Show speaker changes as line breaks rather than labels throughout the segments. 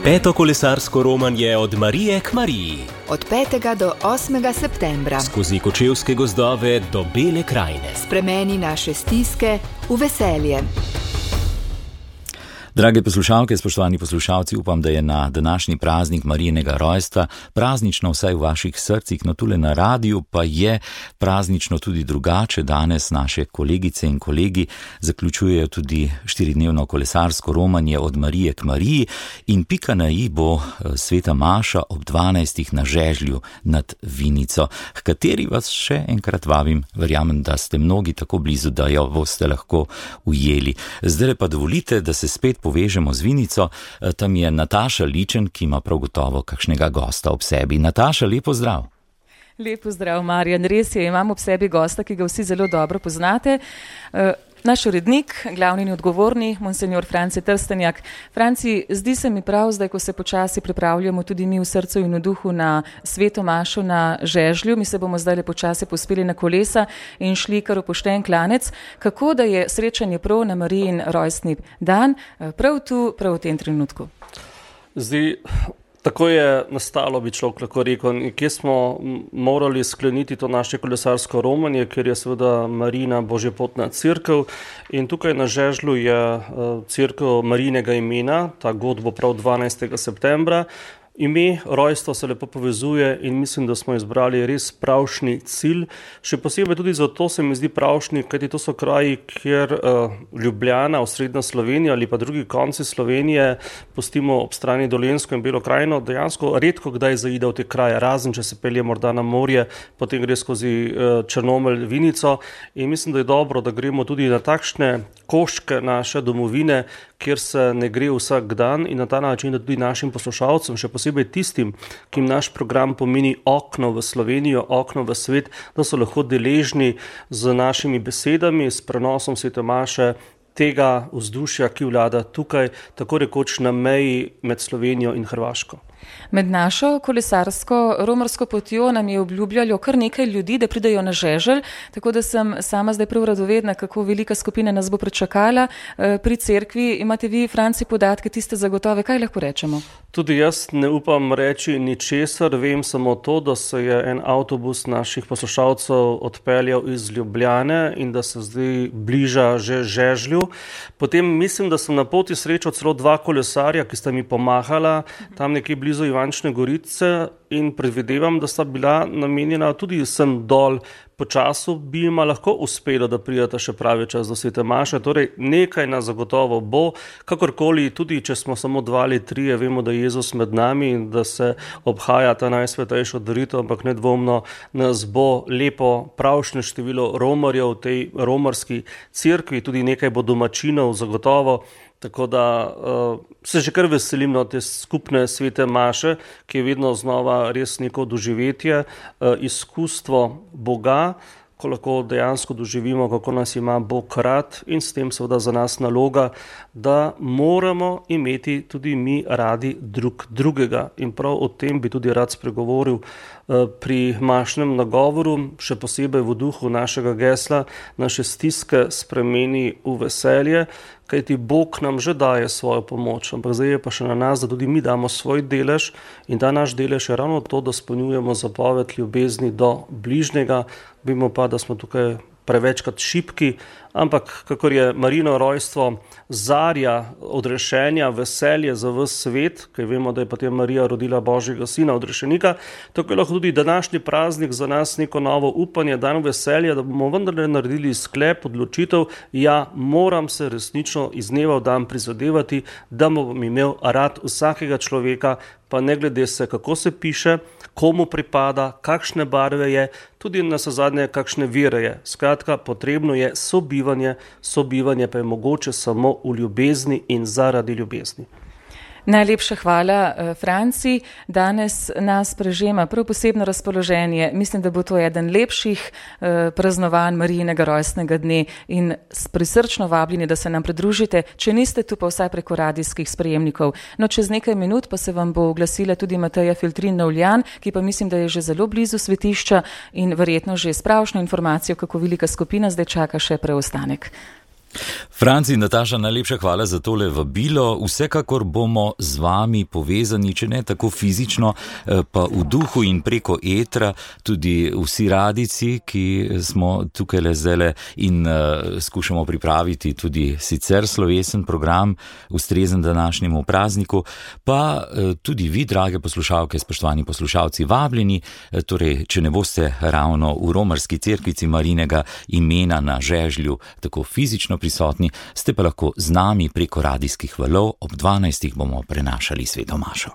Peto kolesarsko romanje od Marije k Mariji.
Od 5. do 8. septembra.
Skozi kočevske gozdove do Bele krajine.
Spremeni naše stiske v veselje.
Drage poslušalke, spoštovani poslušalci, upam, da je na današnji praznik Marijinega rojstva praznično vsaj v vaših srcih, no tule na radiju pa je praznično tudi drugače. Danes naše kolegice in kolegi zaključujejo tudi 4-dnevno kolesarsko romanje od Marije k Mariji in pika na i bo sveta maša ob 12. na Žežlju nad Vinico, h kateri vas še enkrat vabim. Verjamem, da ste mnogi tako blizu, da jo boste lahko ujeli. Zdaj pa dovolite, da se spet povežemo z Vinico. Tam je Nataša Ličen, ki ima prav gotovo kakšnega gosta ob sebi. Nataša, lepo zdrav.
Lepo zdrav, Marjan. Res je, imam ob sebi gosta, ki ga vsi zelo dobro poznate. Naš urednik, glavni in odgovorni, monsenjor Franci Trstenjak. Franci, zdi se mi prav zdaj, ko se počasi pripravljamo tudi mi v srcu in v duhu na sveto mašo na Žežlju. Mi se bomo zdaj počasi pospeli na kolesa in šli kar v pošten klanec. Kako da je srečanje prav na Marijin rojstni dan, prav tu, prav v tem trenutku?
Tako je nastalo, bi človek lahko rekel, kje smo morali skleniti to naše kolesarsko romanje, ker je seveda Marijina božjepotna cerkev in tukaj na Žežlju je cerkev Marijinega imena, ta god bo prav 12. septembra. Ime, rojstvo se lepo povezuje in mislim, da smo izbrali res pravšnji cilj. Še posebej tudi zato se mi zdi pravšnji, kajti to so kraji, kjer Ljubljana, osrednja Slovenija ali pa drugi konci Slovenije, pustimo ob strani Dolenjsko in Belo krajino, dejansko redko kdaj zaide v te kraje, razen če se pelje morda na morje, potem gre skozi Črnomelj, Vinico in mislim, da je dobro, da gremo tudi na takšne koščke naše domovine, kjer se ne gre vsak dan in na ta način, da tudi našim poslušalcem, še posebej tistim, ki jim naš program pomeni okno v Slovenijo, okno v svet, da so lahko deležni z našimi besedami, s prenosom svete maše, tega vzdušja, ki vlada tukaj, tako rekoč na meji med Slovenijo in Hrvaško.
Med našo kolesarsko romarsko potjo nam je obljubljalo kar nekaj ljudi, da pridejo na Žeželj, tako da sem sama zdaj prav radovedna, kako velika skupina nas bo pričakala pri cerkvi. Imate vi, Franci, podatke, tiste zagotove, kaj lahko rečemo?
Tudi jaz ne upam reči ničesar, vem samo to, da se je en avtobus naših poslušalcev odpeljal iz Ljubljane in da se zdaj bliža že Žežlju. Potem mislim, da sem na poti srečal celo 2 kolesarja, ki sta mi pomahala tam nekje blizu Ivančne Gorice in predvidevam, da sta bila namenjena tudi sem dol. Po času bi jima lahko uspelo, da prideta še pravi čas do svete maše, torej nekaj nas zagotovo bo, kakorkoli, tudi če smo samo 2 ali 3, vemo, da je Jezus med nami in da se obhaja ta najsvetejšo daritev, ampak nedvomno nas bo lepo pravšnje število romarjev v tej romarski cerkvi, tudi nekaj bo domačinov zagotovo. Tako da se že kar veselim te skupne svete maše, ki je vedno znova res neko doživetje, izkustvo Boga, ko lahko dejansko doživimo, kako nas ima Bog rad in s tem seveda za nas naloga, da moramo imeti tudi mi radi drug drugega. In prav o tem bi tudi rad spregovoril pri mašnem nagovoru, še posebej v duhu našega gesla, naše stiske spremeni v veselje, kajti Bog nam že daje svojo pomoč, ampak zdaj je pa še na nas, da tudi mi damo svoj delež in ta naš delež je ravno to, da spolnjujemo zapoved ljubezni do bližnjega. Vemo pa, da smo tukaj prevečkrat šibki, ampak kakor je Marijino rojstvo zarja odrešenja, veselje za ves svet, ker vemo, da je potem Marija rodila Božjega sina, odrešenika, tako je lahko tudi današnji praznik za nas neko novo upanje, dan veselja, da bomo vendarle naredili sklep, odločitev, ja, moram se resnično iz dneva v dan prizadevati, da bom imel rad vsakega človeka, pa ne glede se, kako se piše, komu pripada, kakšne barve je, tudi nazadnje kakšne vere je. Skratka, potrebno je sobivanje, sobivanje pa je mogoče samo v ljubezni in zaradi ljubezni.
Najlepša hvala, Franci. Danes nas prežema prav posebno razpoloženje. Mislim, da bo to eden lepših praznovanj Marijinega rojstnega dne in prisrčno vabljeni, da se nam pridružite. Če niste tu, pa vsaj preko radijskih sprejemnikov. No, čez nekaj minut pa se vam bo oglasila tudi Mateja Filtrin-Novljan, ki pa mislim, da je že zelo blizu svetišča in verjetno že s pravšnjo informacijo, kako velika skupina zdaj čaka še preostanek.
Franci in Nataša, najlepša hvala za tole vabilo. Vsekakor bomo z vami povezani, če ne tako fizično, pa v duhu in preko etra, tudi vsi radici, ki smo tukaj le zdajle in skušamo pripraviti tudi sicer slovesen program, ustrezen današnjemu prazniku, pa tudi vi, drage poslušalke, spoštovani poslušalci, vabljeni, torej, če ne boste ravno v romarski cerkvici Marijinega imena na žežlju tako fizično prisotni, ste pa lahko z nami preko radijskih valov, ob 12. bomo prenašali sveto mašo.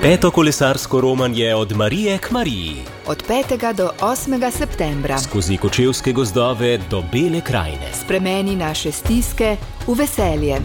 Peto kolesarsko romanje od Marije k Mariji.
Od 5. do 8. septembra.
Skozi Kočevske gozdove do Bele krajine.
Spremeni naše stiske v veselje.